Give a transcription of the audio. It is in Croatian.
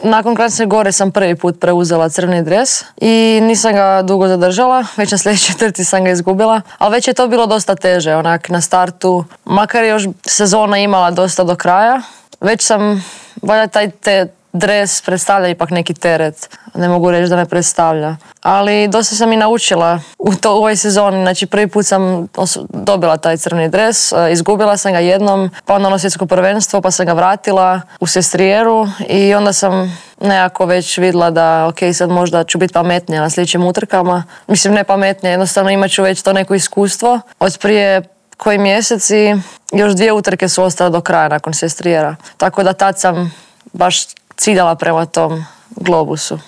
Nakon Kranjske Gore sam prvi put preuzela crveni dres i nisam ga dugo zadržala, već na sljedećoj trci sam ga izgubila, ali već je to bilo dosta teže, onak na startu, makar je još sezona imala dosta do kraja, već sam, valjda taj dres predstavlja ipak neki teret, ne mogu reći da ne predstavlja. Ali dosta sam i naučila u ovoj sezoni, znači prvi put sam dobila taj crveni dres, izgubila sam ga jednom, pa onda ono svjetsko prvenstvo, pa sam ga vratila u Sestrijeru i onda sam nekako već vidjela da ok, sad možda ću biti pametnija na sljedećim utrkama. Mislim, ne pametnija, jednostavno imat ću već to neko iskustvo. Od prije koji mjeseci još 2 utrke su ostale do kraja nakon Sestrijera. Tako da tad sam baš ciljala prema tom globusu.